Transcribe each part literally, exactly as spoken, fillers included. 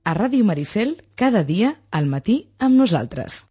A Ràdio Maricel, cada dia, al matí, amb nosaltres.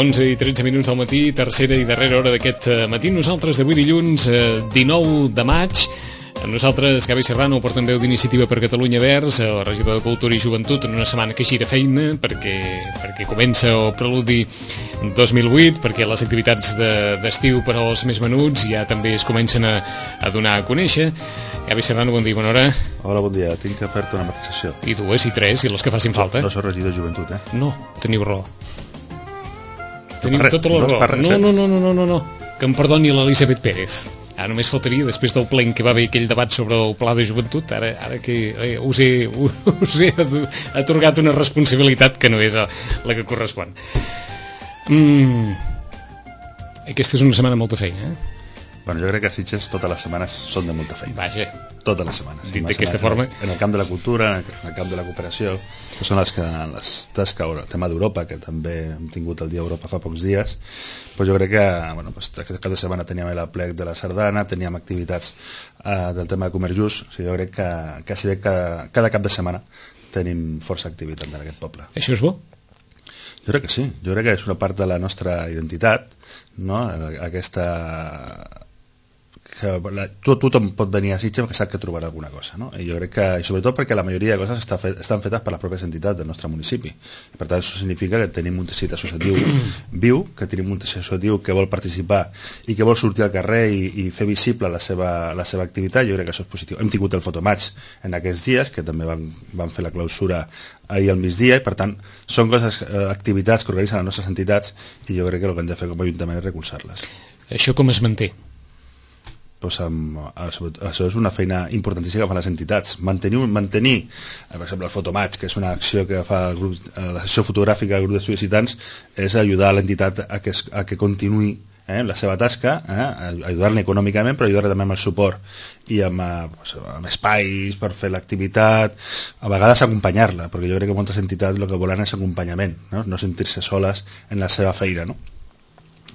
onze i tretze minuts del matí, tercera i darrera hora d'aquest matí. Nosaltres d'avui dilluns, dinou de maig, amb nosaltres Gavi Serrano, portaveu d'Iniciativa per Catalunya Verds, el regidor de Cultura i Joventut, en una setmana que gira feina, perquè, perquè comença el preludi dos mil vuit, perquè les activitats d'estiu per als més menuts ja també es comencen a, a donar a conèixer. Gavi Serrano, bon dia, bona hora. Hola, bon dia. Tinc que fer-te una matisació. I dues, i tres, i les que facin falta. No, no soc regidor de Joventut, eh? No, teniu raó. Teniu res, tota la no raó. Res, no, no, no, no, no, no, no. Que em perdoni l'Elisabet Pérez. Ara només faltaria, després del ple en què va haver aquell debat sobre el pla de joventut, ara, ara que eh, us, he, us he atorgat una responsabilitat que no era la que correspon. Mm. Aquesta és una setmana amb molta feina, eh? Bueno, jo crec que a Sitges totes les setmanes són de molta feina. Vaja. Totes les setmanes. Dit d'aquesta forma. En el camp de la cultura, en el camp de la cooperació, que són les que, les tasques, el tema d'Europa, que també hem tingut el dia Europa fa pocs dies, pues jo crec que, bueno, pues, aquesta cada setmana teníem el plec de la sardana, teníem activitats eh, del tema de comerç just, o sigui, jo crec que quasi bé cada, cada cap de setmana tenim força activitat en aquest poble. Això és bo? Jo crec que sí, jo crec que és una part de la nostra identitat, no? Aquesta... que la, tot, tothom pot venir a Sitges que sap que trobarà alguna cosa, no? I jo crec que, i sobretot perquè la majoria de coses està fet, estan fetes per les pròpies entitats del nostre municipi, i per tant això significa que tenim un teixit associatiu viu, que tenim un teixit associatiu que vol participar i que vol sortir al carrer i, i fer visible la seva, la seva activitat. Jo crec que això és positiu. Hem tingut el fotomatch en aquests dies, que també van, van fer la clausura ahir al migdia, i per tant són coses, eh, activitats que organitzen les nostres entitats, i jo crec que el que hem de fer com a Ajuntament és recolzar-les. Això com es manté? Pues, um, això és una feina importantíssima que fan les entitats. Mantenir, mantenir per exemple, el fotomatch, que és una acció que fa el grup, la sessió fotogràfica del grup d'estudis Citans, és ajudar l'entitat a que, a que continuï eh, la seva tasca, eh, ajudar-la econòmicament, però ajudar-la també amb el suport i amb, pues, amb espais per fer l'activitat, a vegades acompanyar-la, perquè jo crec que moltes entitats el que volen és acompanyament, no, no sentir-se soles en la seva feina, no?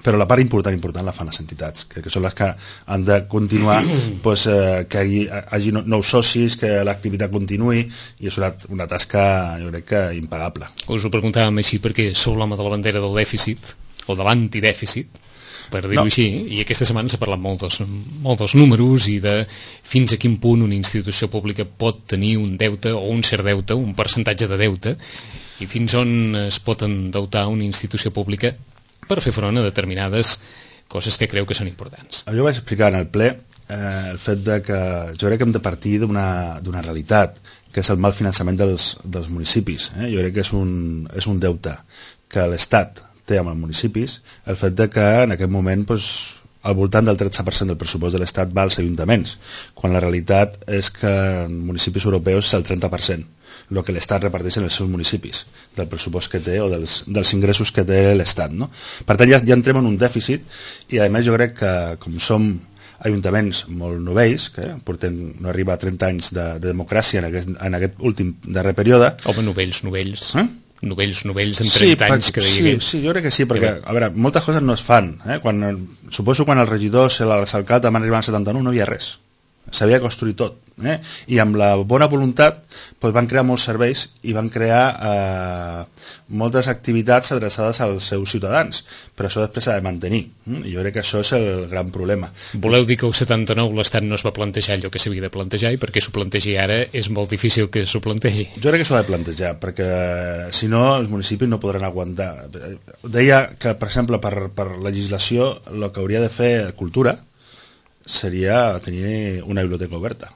Però la part important important la fan les entitats, que, que són les que han de continuar, pues, eh, que hi hagi nous socis, que l'activitat continuï, i és una, una tasca, jo crec que impagable. Us ho preguntàvem així perquè sou l'home de la bandera del dèficit, o de l'antidèficit, per dir-ho no. així, i aquesta setmana s'ha parlat molt dels, molt dels números i de fins a quin punt una institució pública pot tenir un deute o un cert deute, un percentatge de deute, i fins on es pot endeutar una institució pública per fer front a determinades coses que creu que són importants. Jo vaig explicar en el ple eh, el fet de que jo crec que hem de partir d'una realitat, que és el mal finançament dels, dels municipis. Eh? Jo crec que és un, és un deute que l'Estat té amb els municipis, el fet de que en aquest moment pues, al voltant del tretze per cent del pressupost de l'Estat va als ajuntaments, quan la realitat és que en municipis europeus és el trenta per cent. El que l'Estat reparteix en els seus municipis, del pressupost que té o dels, dels ingressos que té l'Estat, no? Per tant, ja, ja entrem en un dèficit, i a més jo crec que com som ajuntaments molt novells, que portem, no arriba a trenta anys de, de democràcia en aquest, en aquest últim darrer període... Home, novells, novells... Eh? Novells, novells, en sí, trenta anys que deia sí, que... Sí, jo crec que sí, perquè, a veure, moltes coses no es fan. Eh? Quan, suposo quan els regidors i els alcaldes van arribar al setanta-nou no hi havia res. s'havia de construir tot, eh? I amb la bona voluntat doncs, van crear molts serveis i van crear eh, moltes activitats adreçades als seus ciutadans, però això després s'ha de mantenir, eh? I jo crec que això és el gran problema. Voleu dir que el setanta-nou l'Estat no es va plantejar allò que s'havia de plantejar i perquè s'ho plantegi ara és molt difícil que s'ho plantegi? Jo crec que s'ho ha de plantejar, perquè si no els municipis no podran aguantar. Deia que, per exemple, per, per legislació el que hauria de fer Cultura seria tenir una biblioteca oberta,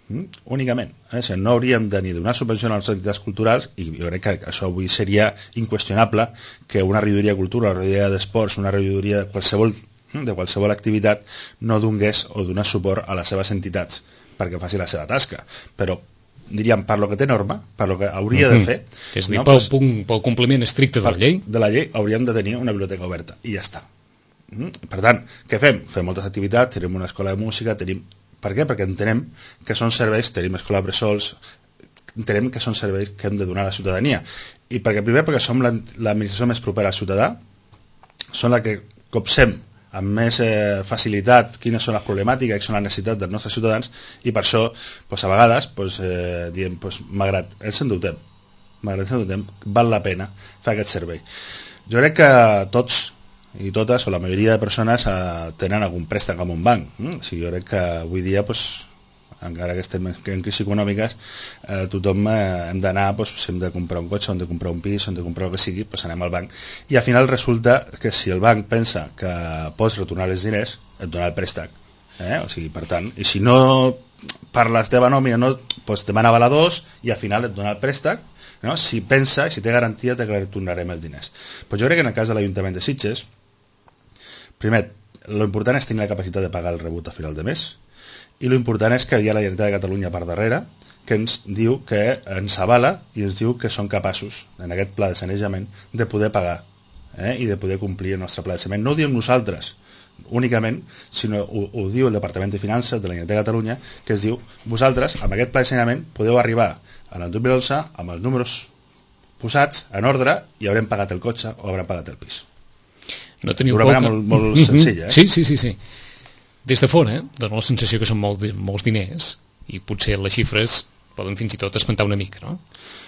mm? únicament. Eh? O sigui, no hauríem de ni donar subvenció a les entitats culturals, i jo crec que això avui seria inqüestionable, que una regidoria de cultura, una regidoria d'esports, una regidoria de qualsevol, de qualsevol activitat no donés o donés suport a les seves entitats perquè faci la seva tasca. Però diríem, per lo que té norma, per lo que hauria de fer... Mm-hmm. És a dir, no? pel, pues, pel compliment estricte de la llei? De la llei hauríem de tenir una biblioteca oberta, i ja està. Per tant, què fem? Fem moltes activitats, tenim una escola de música, tenim... Per què? Perquè entenem que són serveis, tenim escola de bressols, entenem que són serveis que hem de donar a la ciutadania. I perquè primer perquè som l'administració més propera al ciutadà, són la que copsem amb més eh, facilitat quines són les problemàtiques, quines són les necessitats dels nostres ciutadans, i per això, doncs, a vegades, doncs, eh, diem, doncs, malgrat ens endeutem, malgrat ens endeutem, val la pena fer aquest servei. Jo crec que tots i totes, o la majoria de persones eh, tenen algun préstec amb un banc. Mm? O sigui, jo crec que avui dia, pues, encara que estem en crisi econòmiques, eh, tothom eh, hem d'anar, pues, si hem de comprar un cotxe, hem de comprar un pis, hem de comprar el que sigui, pues, anem al banc. I al final resulta que si el banc pensa que pots retornar els diners, et dona el préstec. Eh? O sigui, per tant, i si no per la teva nòmina no, pues, demana avaladors i al final et dona el préstec, no? Si pensa, si té garantia de que retornarem els diners. Pues jo crec que en el cas de l'Ajuntament de Sitges, primer, l'important és tenir la capacitat de pagar el rebut a final de mes, i l'important és que hi ha la Generalitat de Catalunya per darrere que ens diu que ens avala i ens diu que són capaços, en aquest pla de sanejament, de poder pagar eh? i de poder complir el nostre pla de sanejament. No ho diem nosaltres únicament, sinó ho, ho diu el Departament de Finances de la Generalitat de Catalunya, que es diu, vosaltres, amb aquest pla de sanejament, podeu arribar en el dos mil onze amb els números posats en ordre i haurem pagat el cotxe o haurem pagat el pis. No teniu D'una manera molt, molt senzilla. Eh? Sí, sí, sí, sí. Des de fora, eh, dona la sensació que són molt, molts diners i potser les xifres poden fins i tot espantar una mica, no?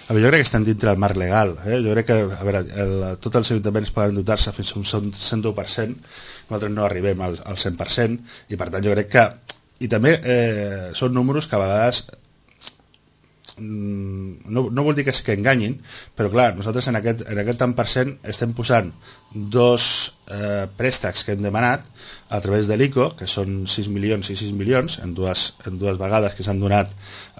A veure, jo crec que estan dintre del marc legal. Eh? Jo crec que, a veure, el, tots els ajuntaments poden dotar-se fins a un cent u per cent, nosaltres no arribem al, al cent per cent, i per tant jo crec que... I també eh, són números que a vegades... No, no vol dir que es que enganyin, però clar, nosaltres en aquest, en aquest tant per cent estem posant dos eh, préstecs que hem demanat a través de l'I C O, que són sis milions i sis milions en dues, en dues vegades que s'han donat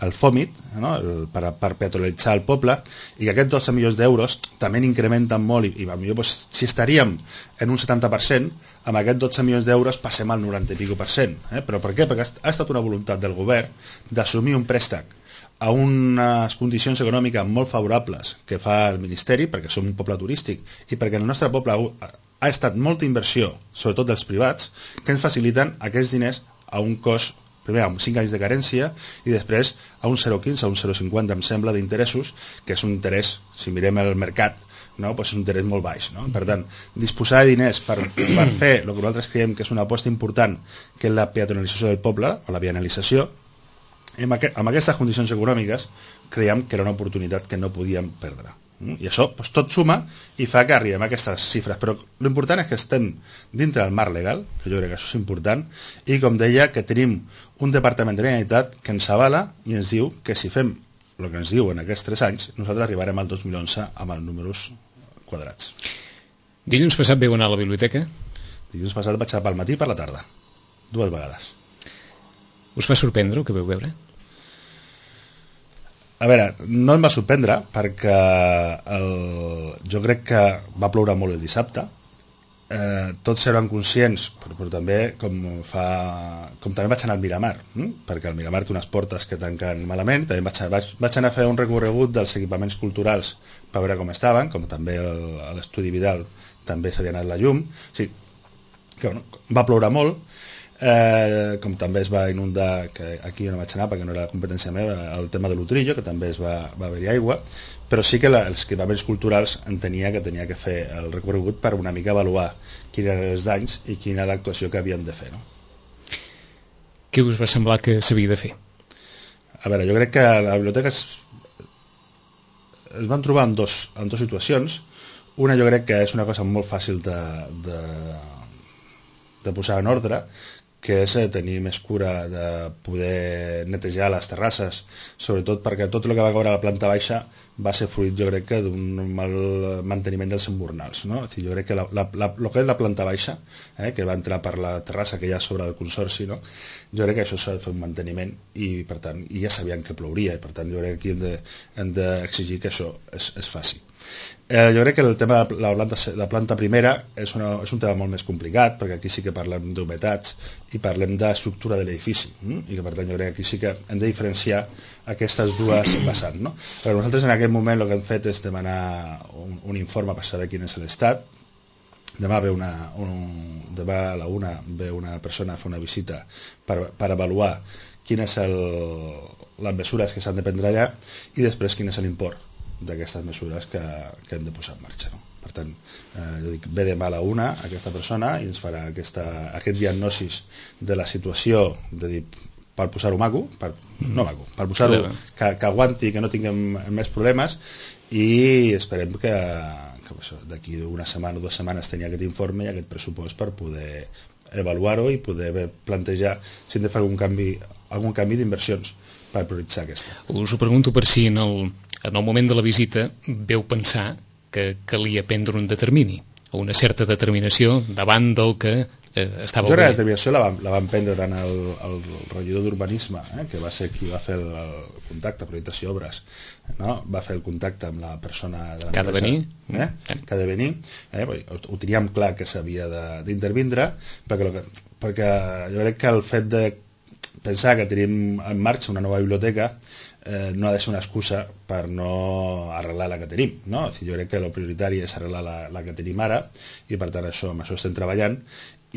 el FOMIT, no? el, per, per peatonalitzar el poble, i que aquests dotze milions d'euros també incrementen molt, i, i potser doncs, si estaríem en un setanta per cent, amb aquests dotze milions d'euros passem al noranta i pico per cent. Eh? Però per què? Perquè ha estat una voluntat del govern d'assumir un préstec a unes condicions econòmiques molt favorables que fa el Ministeri, perquè som un poble turístic i perquè el nostre poble ha estat molta inversió, sobretot dels privats, que ens faciliten aquests diners a un cost, primer amb cinc anys de carència i després a un zero coma quinze, a un zero coma cinquanta, em sembla, d'interessos, que és un interès, si mirem el mercat, no? Pues és un interès molt baix. No? Per tant, disposar de diners per, per fer el que nosaltres creiem que és una aposta important, que és la peatonalització del poble, o la vianalització, amb, aqu amb aquestes condicions econòmiques creiem que era una oportunitat que no podíem perdre. I això doncs, tot suma i fa que arribem a aquestes xifres. Però l'important és que estem dintre del marc legal, que jo crec que això és important, i com deia, que tenim un departament de la Generalitat que ens avala i ens diu que si fem el que ens diu en aquests tres anys, nosaltres arribarem al dos mil onze amb els números quadrats. Dilluns passat veu anar a la biblioteca? Dilluns passat vaig anar pel matí i per la tarda, dues vegades. Us va sorprendre el que veu veure? A veure, no em va sorprendre perquè el... jo crec que va ploure molt el dissabte. Eh, tots eren conscients, però, però també com, fa... com també vaig anar al Miramar, hm? perquè el Miramar té unes portes que tanquen malament. També vaig, vaig, vaig anar a fer un recorregut dels equipaments culturals per veure com estaven, com també el, a l'Estudi Vidal també s'havia anat la llum. O sigui, que, bueno, va ploure molt. Eh, com també es va inundar, que aquí jo no vaig anar perquè no era la competència meva, el tema de l'Utrillo, que també es va, va haver-hi aigua, però sí que la, els equipaments culturals entenia que tenia que fer el recorregut per una mica avaluar quins eren els danys i quina era l'actuació que havien de fer, no? què us va semblar que s'havia de fer? A veure, jo crec que la biblioteca es, es van trobar en dos, en dues situacions. Una jo crec que és una cosa molt fàcil de, de, de posar en ordre, que és tenir més cura de poder netejar les terrasses, sobretot perquè tot el que va caure a la planta baixa va ser fruit, jo crec, que d'un mal manteniment dels emburnals, no? És a dir, jo crec que la, la, la, el que és la planta baixa, eh, que va entrar per la terrassa que hi ha sobre el consorci, no? Jo crec que això s'ha de fer un manteniment i, per tant, i ja sabien que plouria, i per tant jo crec que aquí hem de, hem d'exigir que això es, es faci. Eh, jo crec que el tema de la planta, la planta primera és, una, és un tema molt més complicat, perquè aquí sí que parlem d'humitats i parlem d'estructura de l'edifici, hm? I que per tant jo crec que aquí sí que hem de diferenciar aquestes dues vessants, no? Però nosaltres en aquest moment el que hem fet és demanar un, un informe per saber quin és l'estat. Demà ve una, un, demà a la una ve una persona a fer una visita per, per avaluar quines el, les mesures que s'han de prendre allà i després quin és l'import d'aquestes mesures que, que hem de posar en marxa, no? Per tant, eh, jo dic, ve demà a la una aquesta persona i ens farà aquesta, aquest diagnosis de la situació, de dir, per posar-ho maco, per, no maco, per posar-ho que, que aguanti, que no tinguem més problemes, i esperem que, que d'aquí una setmana o dues setmanes tenir aquest informe i aquest pressupost per poder avaluar-ho i poder plantejar si hem de fer algun canvi, algun canvi d'inversions per prioritzar aquesta. Us ho pregunto per si en el, en el moment de la visita veu pensar que calia prendre un determini o una certa determinació davant del que eh, estava... Jo crec que la determinació la vam, la vam prendre tant el, el regidor d'urbanisme, eh, que va ser qui va fer el, el contacte, projectació obres, no? Va fer el contacte amb la persona de l'empresa, que ha de venir, eh? que ha de venir, eh? ho, ho teníem clar que s'havia d'intervindre, perquè, que, perquè jo crec que el fet de pensar que tenim en marxa una nova biblioteca eh, no ha de ser una excusa per no arreglar la que tenim, no? Jo crec que el prioritari és arreglar la, la que tenim ara i per tant això, amb això estem treballant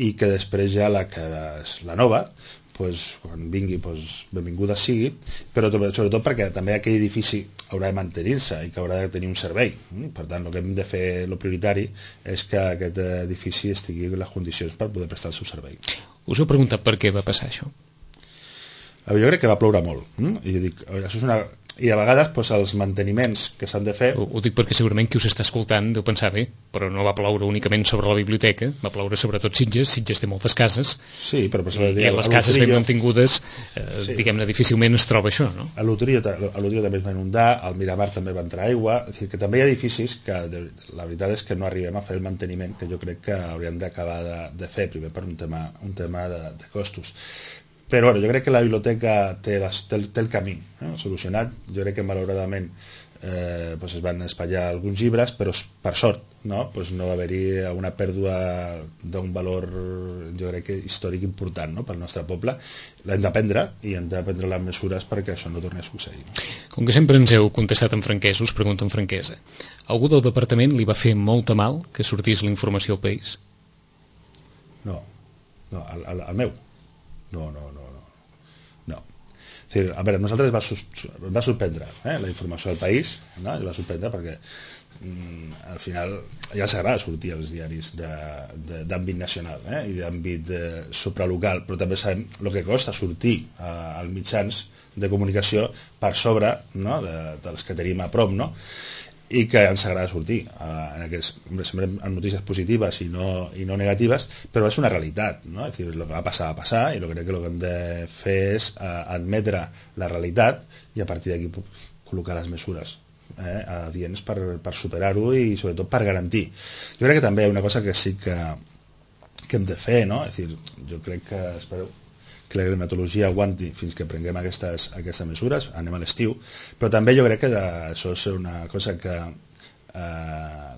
i que després ja la que és la nova, pues, quan vingui pues, benvinguda sigui, però sobretot perquè també aquell edifici haurà de mantenir-se i que haurà de tenir un servei. Per tant, el que hem de fer, el prioritari, és que aquest edifici estigui en les condicions per poder prestar el seu servei. Us heu preguntat per què va passar això? Jo crec que va ploure molt, hm? I, dic, això és una... I a vegades pues, els manteniments que s'han de fer... Ho, ho dic perquè segurament qui us està escoltant deu pensar bé, però no va ploure únicament sobre la biblioteca, va ploure sobretot Sitges, Sitges té moltes cases, sí, però per i, i a les cases ben mantingudes eh, sí. diguem-ne difícilment es troba això, no? A l'Utrio també es va inundar, al Miramar també va entrar aigua, és a dir, que també hi ha edificis que de, la veritat és que no arribem a fer el manteniment que jo crec que hauríem d'acabar de, de fer, primer per un tema, un tema de, de costos. Però bueno, jo crec que la biblioteca té, les, té, el, té el camí eh, solucionat. Jo crec que malauradament eh, pues es van espatllar alguns llibres, però per sort no, pues no va haver-hi una pèrdua d'un valor, jo crec que històric important, no, pel nostre poble. L'hem d'aprendre i hem de prendre les mesures perquè això no torni a succeir. Com que sempre ens heu contestat en franquesa, us pregunto en franquesa. Algú del departament li va fer molta mal que sortís la informació al país? No, no, al, al, al meu. No, no, no. no. És dir, a veure, a nosaltres va, sus, va sorprendre eh, la informació del país, no? Va sorprendre perquè mm, al final ja s'agrada sortir als diaris d'àmbit nacional eh, i d'àmbit supralocal, però també sabem el que costa sortir eh, als mitjans de comunicació per sobre no, de, dels que tenim a prop, no? I que ens agrada sortir eh, en aquests, sempre en notícies positives i no, i no negatives, però és una realitat, no? És dir, el que va passar va passar i el que crec que el que hem de fer és eh, admetre la realitat i a partir d'aquí col·locar les mesures eh, adients per, per superar-ho i sobretot per garantir. Jo crec que també hi ha una cosa que sí que, que hem de fer, no? És dir, jo crec que espereu que la climatologia aguanti fins que prenguem aquestes, aquestes mesures, anem a l'estiu, però també jo crec que de, això és una cosa que eh,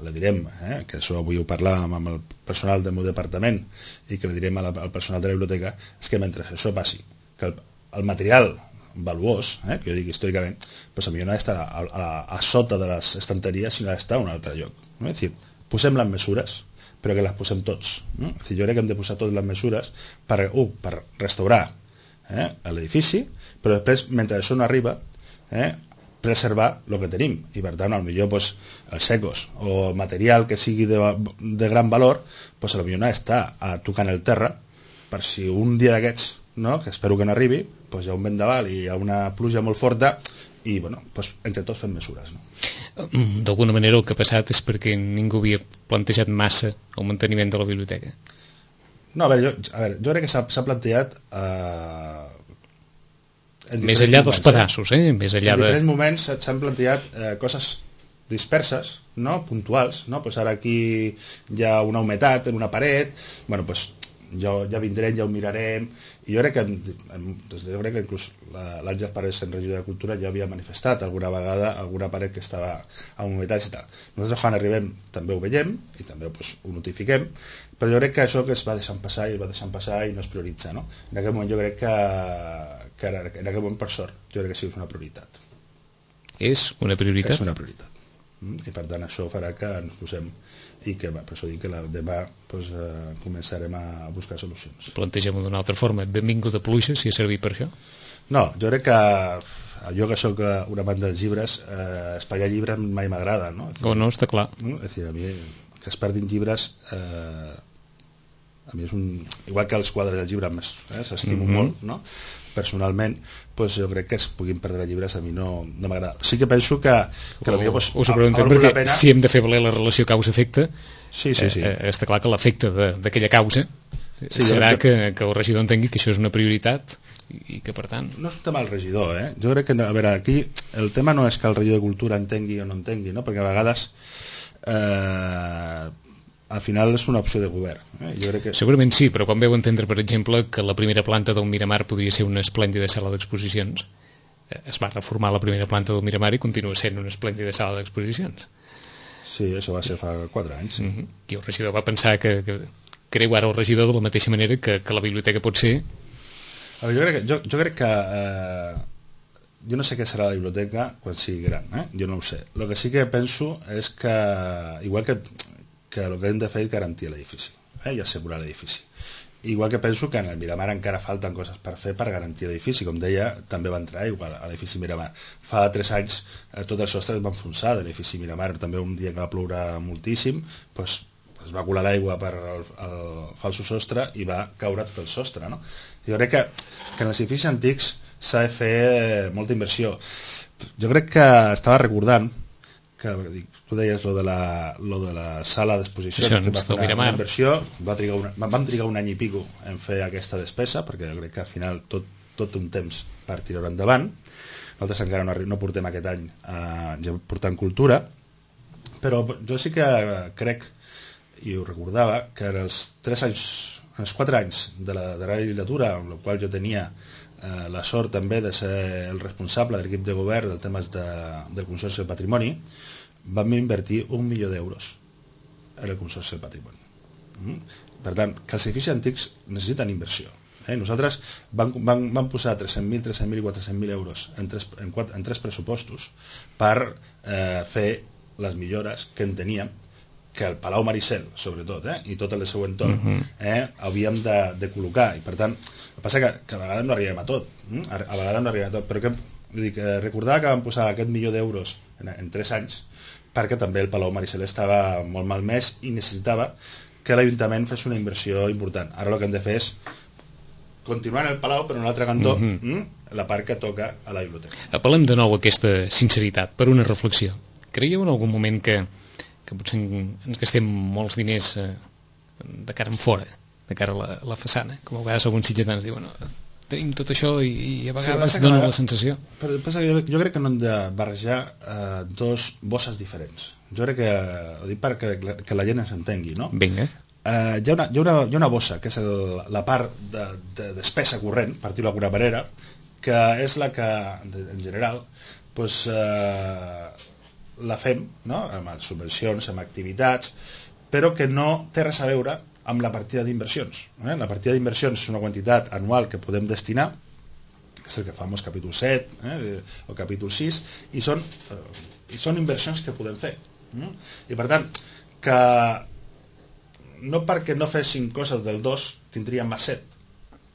la direm, eh, que això avui ho parlàvem amb el personal del meu departament i que la direm al, al personal de la biblioteca, és que mentre això passi, que el, el material valuós, eh, que jo dic històricament, doncs potser no ha d'estar a, a, a sota de les estanteries, sinó ha d'estar en un altre lloc. No? És dir, posem les mesures, però que les posem tots. No? És dir, jo crec que hem de posar totes les mesures per, uh, per restaurar eh, l'edifici, però després, mentre això no arriba, eh, preservar el que tenim. I per tant, potser pues, els secos o el material que sigui de, de gran valor, pues, potser no està a tocant el terra per si un dia d'aquests no? Que espero que no arribi, doncs hi ha un vent d'aval i hi ha una pluja molt forta i bueno, doncs entre tots fem mesures, no? D'alguna manera el que ha passat és perquè ningú havia plantejat massa el manteniment de la biblioteca. No, a veure, jo, a veure, jo crec que s'ha plantejat eh, més enllà dels pedaços, eh? Més enllà en de... diferents moments s'han plantejat eh, coses disperses, no? Puntuals, no? Pues ara aquí hi ha una humetat en una paret, bueno, pues ja, ja vindrem, ja ho mirarem, i jo crec que, jo crec que inclús l'Àngel Parés, en regidor de Cultura, ja havia manifestat alguna vegada alguna paret que estava amb humetats i tal. Nosaltres quan arribem també ho veiem i també pues, ho notifiquem, però jo crec que això que es va deixant passar i es va deixant passar i no es prioritza, no? En aquest moment jo crec que, que en aquest moment, per sort, jo crec que sí que és una prioritat. És una prioritat? És una prioritat. I per tant això farà que ens posem i que per això dic que la, demà pues, eh, començarem a buscar solucions. Plantegem-ho d'una altra forma, benvinguda pluja, si ha servit per això? No, jo crec que jo que sóc una banda de llibres, eh, espatllar llibres mai m'agrada, no? O no, està clar. No? És dir, a mi que es perdin llibres eh, a mi és un... igual que els quadres del llibre eh, s'estimo mm-hmm. molt, no? Personalment, pues, jo crec que es puguin perdre llibres a mi no, no m'agrada. Sí que penso que, que o, potser, pues, us ho preguntem perquè pena... si hem de fer valer la relació causa-efecte, sí, sí, sí. Eh, està clar que l'efecte d'aquella causa sí, serà jo... que, que el regidor entengui que això és una prioritat i que per tant... No és un tema del regidor, eh? Jo crec que, a veure, aquí el tema no és que el regidor de Cultura entengui o no entengui, no? Perquè a vegades eh, al final és una opció de govern, eh? Jo crec que... Segurament sí, però quan veu entendre, per exemple, que la primera planta del Miramar podria ser una esplèndida sala d'exposicions, es va reformar la primera planta del Miramar i continua sent una esplèndida sala d'exposicions. Sí, això va ser fa quatre anys. Mm-hmm. I el regidor va pensar que, que creu ara el regidor de la mateixa manera que, que la biblioteca pot ser... A veure, jo crec que, jo, jo crec que eh, jo no sé què serà la biblioteca quan sigui gran, eh? Jo no ho sé. El que sí que penso és que igual que, que el que hem de fer és garantir l'edifici, eh? I assegurar l'edifici. Igual que penso que en el Miramar encara falten coses per fer per garantir l'edifici. Com deia, també va entrar igual a l'edifici Miramar. Fa tres anys eh, tot el sostre es va enfonsar de l'edifici Miramar. També un dia que va ploure moltíssim, doncs, es va colar l'aigua per el, el falso sostre i va caure tot el sostre, no? Jo crec que, que en els edificis antics s'ha de fer molta inversió. Jo crec que estava recordant que tu deies lo de la, lo de la sala d'exposició que va fer una, una inversió, va trigar una, vam trigar un any i pico en fer aquesta despesa, perquè jo crec que al final tot, tot un temps per tirar endavant. Nosaltres encara no, no portem aquest any eh, ja portant cultura, però jo sí que crec, i ho recordava, que en els tres anys, en els quatre anys de la darrera legislatura, amb la qual jo tenia eh, la sort també de ser el responsable de l'equip de govern del temes de, del Consorci del Patrimoni, vam invertir un milió d'euros en el Consorci del Patrimoni. Mm? Per tant, que els edificis antics necessiten inversió. Eh? Nosaltres vam, vam, vam posar tres-cents mil, tres-cents mil i quatre-cents mil euros en tres, en, quatre, en tres pressupostos per eh, fer les millores que en teníem, que el Palau Maricel, sobretot, eh, i tot el seu entorn, uh-huh. eh, havíem de, de col·locar. I per tant, el que passa que, que a vegades no arribem a tot. Eh? A, a vegades no arribem a tot. Però que, dic, eh, recordar que vam posar aquest milió d'euros en, en tres anys perquè també el Palau Maricel estava molt malmès i necessitava que l'Ajuntament fes una inversió important. Ara el que hem de fer és continuar en el Palau, però en l'altre cantó, uh-huh. mm, la part que toca a la biblioteca. Apel·lem de nou a aquesta sinceritat per una reflexió. Creieu en algun moment que que potser ens gastem molts diners eh, de cara en fora, de cara a la, a la façana, com a vegades alguns sitgetans diuen no, tenim tot això i, i a vegades sí, dona la sensació. Però passa que jo, jo crec que no hem de barrejar eh, dos bosses diferents. Jo crec que, ho dic perquè que la gent ens entengui, no? Vinga. Eh, hi, ha una, hi, ha una, hi ha una bossa, que és el, la part de, de despesa corrent, per dir-ho d'alguna manera, que és la que, en general, doncs, eh, la fem, no? Amb subvencions, amb activitats, però que no té res a veure amb la partida d'inversions. Eh? La partida d'inversions és una quantitat anual que podem destinar, que és el que fa amb els capítol set eh? o capítol sis, i són, eh, i són inversions que podem fer. Mm? I per tant, que no perquè no féssim coses del dos tindríem més set.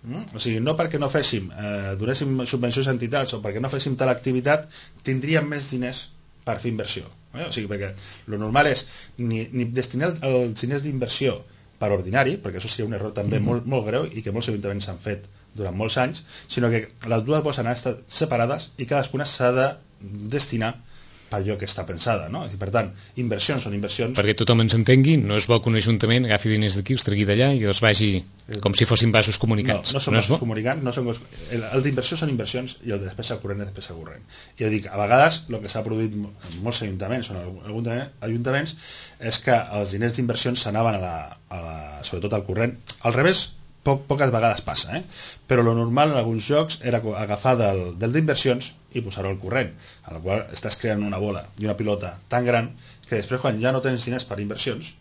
Mm? O sigui, no perquè no féssim, eh, donéssim subvencions a entitats o perquè no féssim tal activitat, tindríem més diners per fer inversió. Eh? O sigui, perquè el normal és ni, ni destinar els diners d'inversió per ordinari, perquè això seria un error també mm-hmm. molt, molt greu i que molts ajuntaments han fet durant molts anys, sinó que les dues poden estar separades i cadascuna s'ha de destinar per allò que està pensada, no? I per tant, inversions són inversions... Perquè tothom ens entengui, no és bo que un ajuntament agafi diners d'aquí, els tregui d'allà i els vagi com si fossin vasos comunicants. No, no són no vasos comunicants, no són... el, el d'inversió són inversions i el de despesa corrent és despesa corrent. I jo dic, a vegades el que s'ha produït en molts ajuntaments, o en alguns ajuntaments, és que els diners d'inversions s'anaven a la, a la, sobretot al corrent. Al revés, poc, poques vegades passa, eh? Però lo normal en alguns jocs era agafar del, del d'inversions i posar-ho al corrent, a la qual estàs creant una bola i una pilota tan gran que després quan ja no tens diners per inversions,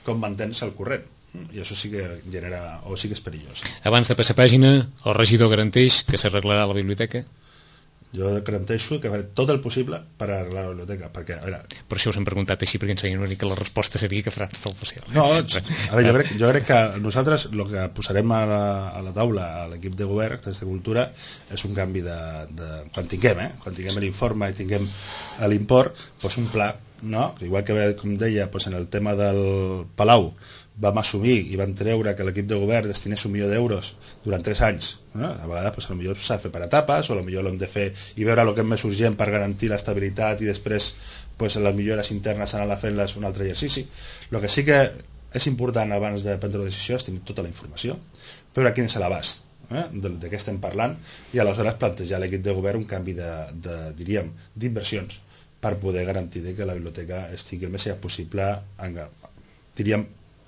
com mantens el corrent? I això sí que genera, o sí que és perillós. Abans de passar pàgina, el regidor garanteix que s'arreglarà la biblioteca? Jo garanteixo que faré tot el possible per arreglar la biblioteca, perquè, a veure... Per això us hem preguntat així, perquè ens veien una mica la resposta seria que farà tot el possible. No, a veure, jo crec, jo crec que nosaltres el que posarem a la, a la taula a l'equip de govern de Cultura és un canvi de... de quan tinguem, eh? Quan tinguem l'informe i tinguem l'import, doncs un pla, no? Igual que, com deia, doncs en el tema del Palau, vam assumir i vam treure que l'equip de govern destinés un milió d'euros durant tres anys, no? A vegades pues, potser s'ha de fer per etapes, o potser l'hem de fer i veure el que és més urgent per garantir l'estabilitat i després pues, les millores internes anar fent-les un altre exercici. El que sí que és important abans de prendre la decisió és tenir tota la informació, veure quin és l'abast eh, de, de què estem parlant i aleshores plantejar a l'equip de govern un canvi de, de, diríem, d'inversions per poder garantir que la biblioteca estigui el més possible en, diríem,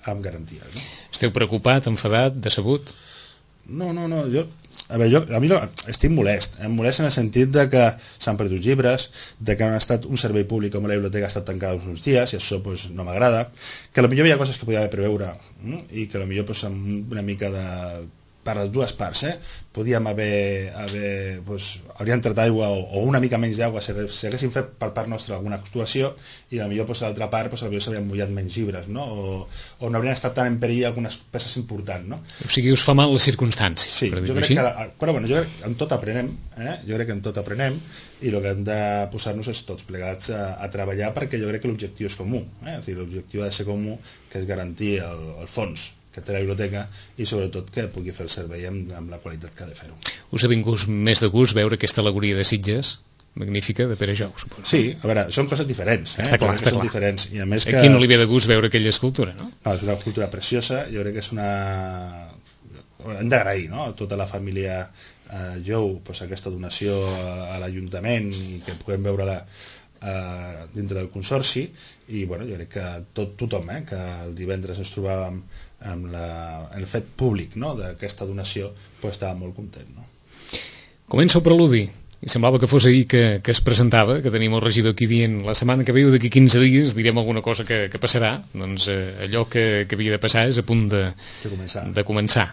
amb garanties, no? Esteu preocupat, enfadat, decebut? No, no, no, jo, a, veure, jo, a mi no, estic molest, em molest en el sentit de que s'han perdut llibres, de que han estat un servei públic com la biblioteca ha estat tancada uns dies, i això pues, no m'agrada, que potser hi ha coses que podia haver preveure, no? I que potser pues, amb una mica de... per les dues parts, eh? Podíem haver, haver pues, haurien tret aigua o, o una mica menys d'aigua si, si haguéssim fet per part nostra alguna actuació i potser pues, a l'altra part pues, potser s'haurien mullat menys llibres, no? O, o no haurien estat tan en perill algunes peces importants, no? O sigui, us fa mal les circumstàncies. Sí, jo crec, que, però, bueno, jo crec que en tot aprenem, eh? jo crec que en tot aprenem i el que hem de posar-nos és tots plegats a, a treballar perquè jo crec que l'objectiu és comú, eh? L'objectiu ha de ser comú, que és garantir el, el fons que té la biblioteca i sobretot que pugui fer el servei amb, amb la qualitat que ha de fer-ho. Us ha vingut més de gust veure aquesta alegoria de Sitges magnífica de Pere Jou, suposo. Sí, a veure, són coses diferents, eh? Està clar, està són clar. Diferents, i a més que... Aquí no li ve de gust veure aquella escultura, no? No, és una escultura preciosa, jo crec que és una... hem d'agrair, no?, a tota la família eh, Jou pues, aquesta donació a, a l'Ajuntament i que puguem veure-la eh, dintre del consorci i bueno, jo crec que tot, tothom eh, que el divendres ens trobàvem amb la, el fet públic, no?, d'aquesta donació pues, estava molt content, no? Comença el preludi i semblava que fos ahir que, que es presentava, que tenim el regidor aquí dient la setmana que ve o d'aquí quinze dies direm alguna cosa que, que passarà, doncs eh, allò que, que havia de passar és a punt de, de, començar. de començar.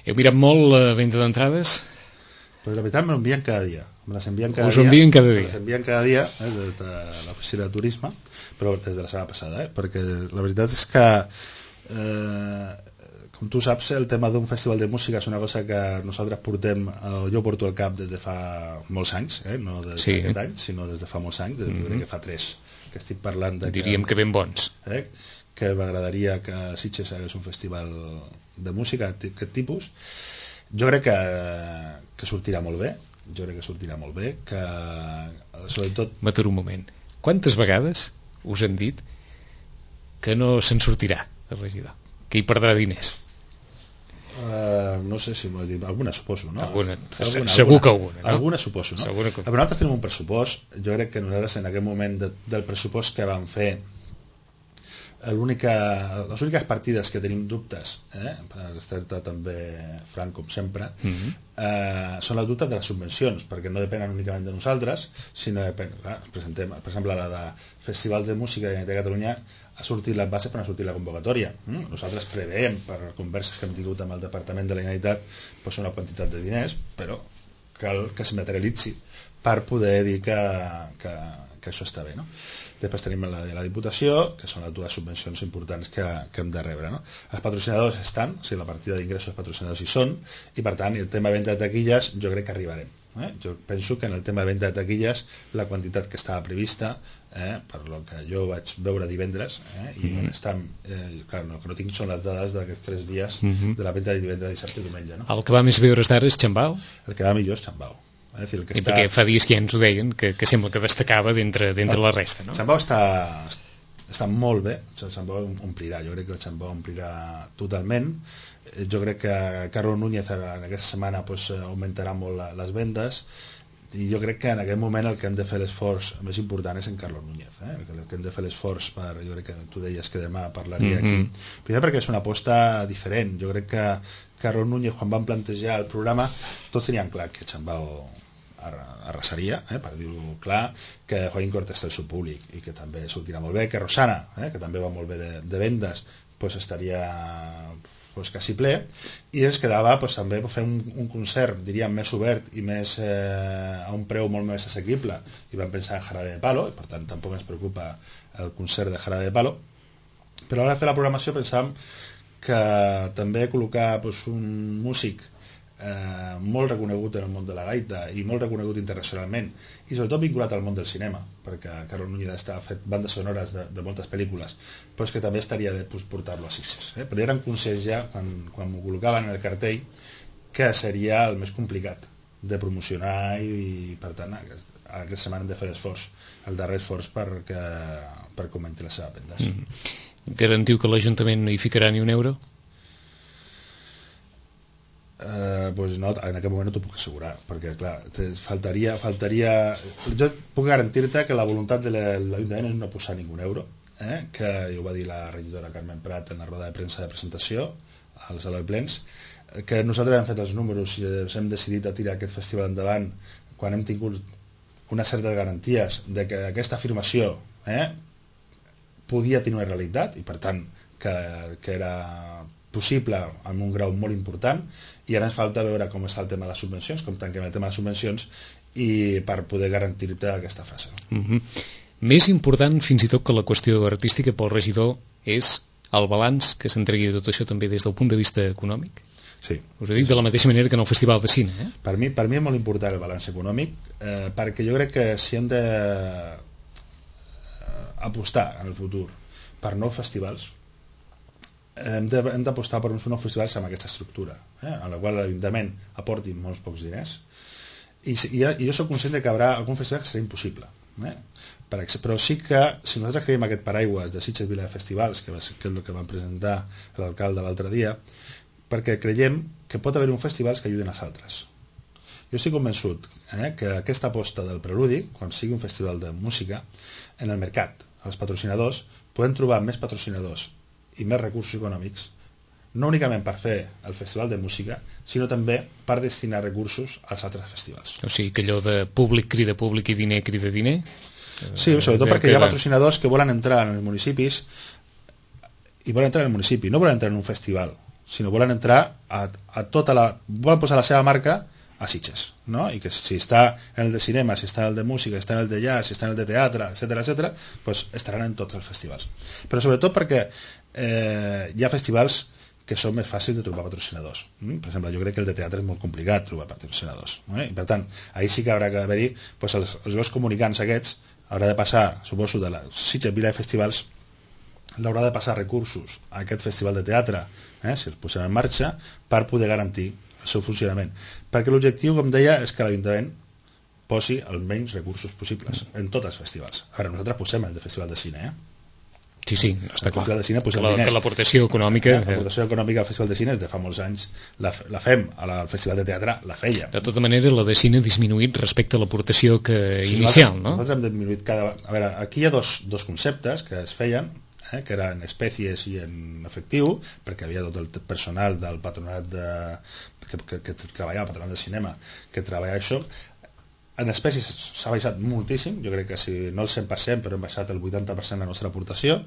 Heu mirat molt la venda d'entrades? Pues la veritat me l'envien cada dia. Me les envien cada Us dia. envien cada dia. Me les envien cada dia eh, des de l'oficina de turisme, però des de la setmana passada, eh, perquè la veritat és que eh, com tu saps, el tema d'un festival de música és una cosa que nosaltres portem, eh, jo porto al cap des de fa molts anys, eh, no des sí, d'aquest eh? any, sinó des de fa molts anys, des de, mm-hmm. que fa tres que estic parlant de diríem que, que ben bons eh, que m'agradaria que Sitges hagués un festival de música d'aquest tipus. Jo crec que, que sortirà molt bé, jo crec que sortirà molt bé, que sobretot... M'aturo un moment. Quantes vegades us han dit que no se'n sortirà el regidor, que hi perdrà diners? Uh, no sé si m'ho he dit, alguna suposo, no? Alguna, alguna segur alguna, que alguna, no? Alguna suposo, no? Segur que... Però nosaltres tenim un pressupost, jo crec que nosaltres en aquest moment de, del pressupost que vam fer, l'única, les úniques partides que tenim dubtes, eh, per estar també franc com sempre, mm-hmm. eh, són les dubtes de les subvencions, perquè no depenen únicament de nosaltres, sinó depèn, clar, presentem, per exemple, la de festivals de música de Catalunya ha sortit la base per ha sortit la convocatòria. Mm? Nosaltres preveiem, per converses que hem tingut amb el Departament de la Generalitat, pues una quantitat de diners, però cal que es materialitzi per poder dir que, que, que això està bé, no? Després tenim la de la Diputació, que són les dues subvencions importants que, que hem de rebre, no? Els patrocinadors estan, o sigui, la partida d'ingressos dels patrocinadors hi són, i per tant, el tema de venda de taquilles jo crec que arribarem. Eh? Jo penso que en el tema de venda de taquilles la quantitat que estava prevista eh, per lo que jo vaig veure divendres, eh, i mm -hmm. estan, eh, clar, no, que no tinc són les dades d'aquests tres dies mm -hmm. de la venda de divendres, dissabte i diumenge, no? El que va més bé hores d'ara és Xambau? El que va millor és Xambau. Eh? És dir, el que I està... perquè fa dies que ja ens ho deien, que, que sembla que destacava d'entre no, la resta, no? Xambau està, està molt bé, el Xambau omplirà, jo crec que el Xambau omplirà totalment. Jo crec que Carlos Núñez en aquesta setmana pues, augmentarà molt la, les vendes, i jo crec que en aquest moment el que hem de fer l'esforç més important és en Carlos Núñez, eh? El que hem de fer l'esforç per, jo crec que tu deies que demà parlaria mm -hmm. aquí, primer perquè és una aposta diferent. Jo crec que Carlos Núñez, quan van plantejar el programa, tots tenien clar que Xambau arrasaria, eh? Per dir-ho clar, que Joaquín Cortés té el seu públic i que també sortirà molt bé, que Rosana, eh? Que també va molt bé de, de vendes, pues estaria pues, quasi ple, i ens quedava pues, també fer un, un concert, diríem, més obert i més eh, a un preu molt més assequible, i vam pensar en Jarabe de Palo, i per tant tampoc ens preocupa el concert de Jarabe de Palo, però a l'hora de fer la programació pensàvem que també col·locar pues, un músic eh, molt reconegut en el món de la gaita i molt reconegut internacionalment, i sobretot vinculat al món del cinema, perquè Carlos Núñez està fet bandes sonores de, de moltes pel·lícules, però és que també estaria bé pues, portar-lo a Sitges, eh? Però eren conscients ja, quan, quan m'ho col·locaven en el cartell, que seria el més complicat de promocionar, i, i per tant aquesta setmana hem de fer l'esforç, el darrer esforç perquè, per augmenti les seves vendes. Mm. Garantiu que l'Ajuntament no hi ficarà ni un euro? Eh, pues no, en aquest moment no t'ho puc assegurar, perquè clar, faltaria, faltaria... Jo puc garantir-te que la voluntat de l'Ajuntament és no posar ningú euro, eh? Que ho va dir la regidora Carmen Prat en la roda de premsa de presentació al Saló de Plens, que nosaltres hem fet els números i hem decidit a tirar aquest festival endavant quan hem tingut unes certes garanties de que aquesta afirmació eh, podia tenir una realitat, i per tant que, que era possible amb un grau molt important, i ara ens falta veure com està el tema de les subvencions, com tanquem el tema de les subvencions, i per poder garantir-te aquesta frase. Mm-hmm. Més important fins i tot que la qüestió artística pel regidor és el balanç que s'entregui de tot això també des del punt de vista econòmic? Sí. Us ho dic de la mateixa manera que en el Festival de Cine, eh? Per mi, per mi és molt important el balanç econòmic, eh, perquè jo crec que si hem de eh, apostar en el futur per nous festivals, hem d'apostar per uns nous festivals amb aquesta estructura, eh, en la qual l'Ajuntament aporti molts pocs diners, i, i, i jo soc conscient de que hi haurà algun festival que serà impossible, eh? Per, però sí que si nosaltres creiem aquest paraigües de Sitges Vila de Festivals, que, va, que és el que van presentar l'alcalde l'altre dia, perquè creiem que pot haver un festivals que ajuden als altres. Jo estic convençut eh, que aquesta aposta del Preludi, quan sigui un festival de música, en el mercat, els patrocinadors, poden trobar més patrocinadors i més recursos econòmics, no únicament per fer el festival de música, sinó també per destinar recursos als altres festivals. O sigui, que allò de públic crida públic i diner crida diner? Sí, sobretot perquè hi ha patrocinadors que volen entrar en els municipis i volen entrar en el municipi, no volen entrar en un festival, sinó volen entrar a, a tota la... volen posar la seva marca a Sitges, no? I que si està en el de cinema, si està en el de música, si està en el de jazz, si està en el de teatre, etcètera, etcètera, pues estaran en tots els festivals. Però sobretot perquè eh, hi ha festivals que són més fàcils de trobar patrocinadors. Mm? Per exemple, jo crec que el de teatre és molt complicat trobar patrocinadors. Eh? I per tant, ahir sí que haurà d'haver-hi pues, els, els dos comunicants aquests, haurà de passar, suposo, de la Sitges Vila de Festivals, l'haurà de passar recursos a aquest festival de teatre, eh, si els posem en marxa, per poder garantir el seu funcionament. Perquè l'objectiu, com deia, és que l'Ajuntament posi els menys recursos possibles en tots els festivals. Ara, nosaltres posem el de Festival de Cine, eh? Sí, sí, està clar. De cine, que, la, que l'aportació econòmica... L'aportació econòmica al Festival de Cine és de fa molts anys. La, la fem, al Festival de Teatre la feia. De tota manera, la de cine ha disminuït respecte a l'aportació que sí, inicial, nosaltres, no? Nosaltres hem disminuït cada... A veure, aquí hi ha dos, dos conceptes que es feien, eh, que eren espècies i en efectiu, perquè havia tot el personal del patronat de, que, que, que treballava, el patronat de cinema, que treballava això. En espècies s'ha baixat moltíssim, jo crec que si no el cent per cent, però hem baixat el vuitanta per cent la nostra aportació,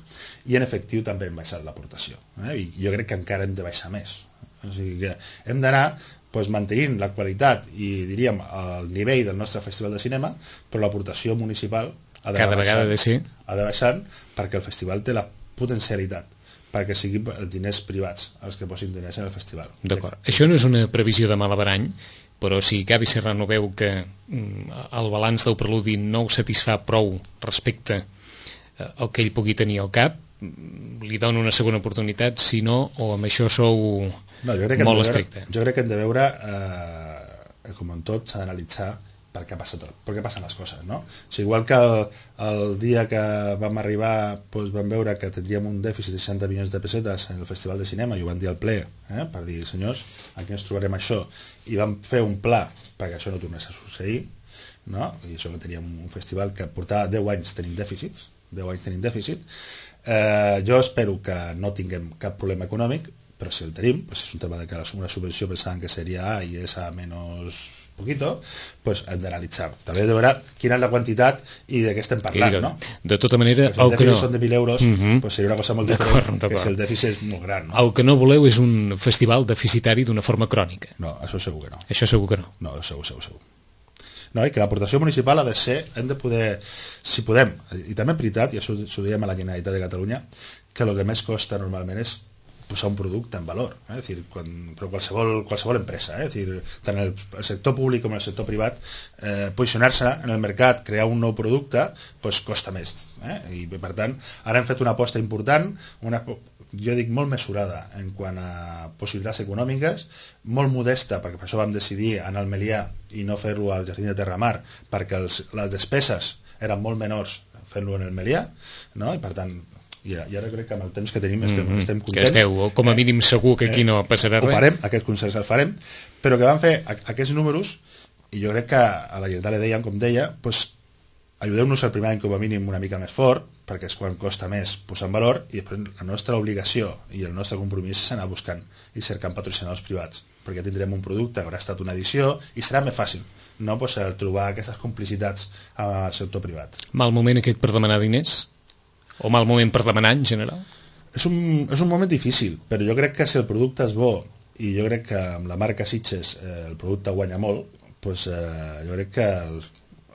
i en efectiu també hem baixat l'aportació, eh? I jo crec que encara hem de baixar més. O sigui que hem d'anar pues, mantenint la qualitat i diríem el nivell del nostre festival de cinema, però l'aportació municipal ha de cada vegada de ser ha de baixar, perquè el festival té la potencialitat perquè siguin els diners privats els que posin diners en el festival. D'acord. Això no és una previsió de malabarany, però si Gavi Serrano veu que mm, el balanç del Preludi no ho satisfà prou respecte el que ell pugui tenir al cap, li dono una segona oportunitat, si no, o amb això sou no, jo crec que molt veure, estricte. Jo crec que hem de veure, eh, com en tot, s'ha d'analitzar per què passa tot, per què passen les coses, no? O sigui, igual que el, el dia que vam arribar doncs vam veure que tindríem un dèficit de seixanta milions de pessetes en el Festival de Cinema, i ho van dir al ple, eh, per dir, senyors, aquí ens trobarem això, i vam fer un pla perquè això no tornés a succeir, no? I això que teníem un festival que portava deu anys tenint dèficits, deu anys tenint dèficit. Eh, jo espero que no tinguem cap problema econòmic, però si el tenim, pues és un tema de que una subvenció pensaven que seria A i és A menos poquito, pues hem d'analitzar. També de veure quina és la quantitat i de què estem parlant, dic, no? De tota manera, pues el el que no... són de mil euros, uh -huh. pues seria una cosa molt diferent, que si el dèficit és molt gran, no? El que no voleu és un festival deficitari d'una forma crònica. No, això segur que no. Això segur que no. No, segur, segur, segur. No, i que l'aportació municipal ha de ser, hem de poder, si podem, i també en veritat, i això ho diem a la Generalitat de Catalunya, que el que més costa normalment és posar un producte en valor, eh? És dir, quan, però qualsevol, qualsevol empresa, eh? És dir, tant el, el sector públic com el sector privat, eh, posicionar-se en el mercat, crear un nou producte, pues, costa més, eh? I per tant, ara hem fet una aposta important, una, jo dic molt mesurada en quant a possibilitats econòmiques, molt modesta, perquè per això vam decidir anar al Melià i no fer-lo al Jardí de Terramar, perquè els, les despeses eren molt menors fent-lo en el Melià, no? I per tant, i ara crec que amb el temps que tenim estem, mm-hmm. estem contents. Que esteu, com a mínim segur que aquí no passarà res. Ho farem, aquest consens el farem, però que vam fer aquests números, i jo crec que a la Generalitat le deien, com deia, pues, ajudeu-nos el primer any com a mínim una mica més fort, perquè és quan costa més posar en valor, i després la nostra obligació i el nostre compromís és anar buscant i cercant patrocinadors privats, perquè tindrem un producte que haurà estat una edició i serà més fàcil, no pues, trobar aquestes complicitats al sector privat. Mal moment aquest per demanar diners? O mal moment per demanar en general? És un, és un moment difícil, però jo crec que si el producte és bo, i jo crec que amb la marca Sitges eh, el producte guanya molt, doncs eh, jo crec que el,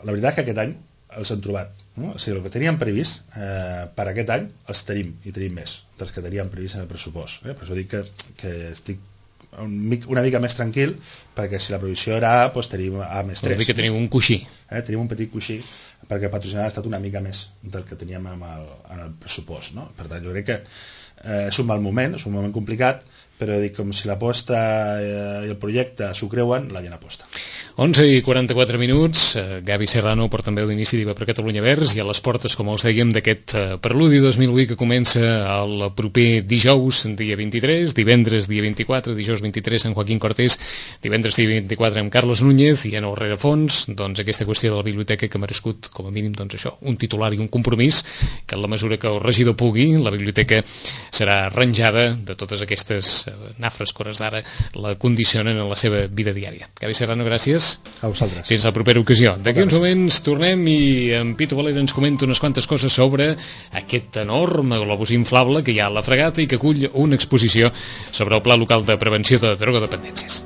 la veritat és que aquest any els hem trobat, no? O sigui, el que teníem previst eh, per aquest any els tenim, i tenim més dels que teníem previst en el pressupost, eh? Per això dic que, que estic un, una mica més tranquil, perquè si la previsió era A, doncs tenim A més tres. Vol dir que tenim un coixí. Eh? Tenim un petit coixí, perquè el patrocinat ha estat una mica més del que teníem en el, en el pressupost, no? Per tant, jo crec que eh, és un mal moment, és un moment complicat, però dic, com si l'aposta eh, i el projecte s'ho creuen, la gent aposta. onze i quaranta-quatre minuts, eh, Gavi Serrano, portaveu d'Iniciativa per Catalunya Verds, i a les portes, com els dèiem, d'aquest eh, Preludi dos mil vuit que comença el proper dijous, dia vint-i-tres, divendres, dia vint-i-quatre, dijous vint-i-tres, en Joaquín Cortés, divendres, dia vint-i-quatre, amb Carlos Núñez, i en el rerefons, doncs, aquesta qüestió de la biblioteca que ha merescut, com a mínim, doncs això, un titular i un compromís, que en la mesura que el regidor pugui, la biblioteca serà arranjada de totes aquestes eh, nafres que hores d'ara la condicionen en la seva vida diària. Gavi Serrano, gràcies. A vosaltres. Fins la propera ocasió. D'aquí uns moments tornem i en Pitu Valera ens comenta unes quantes coses sobre aquest enorme globus inflable que hi ha a la Fregata i que acull una exposició sobre el Pla Local de Prevenció de Drogodependències.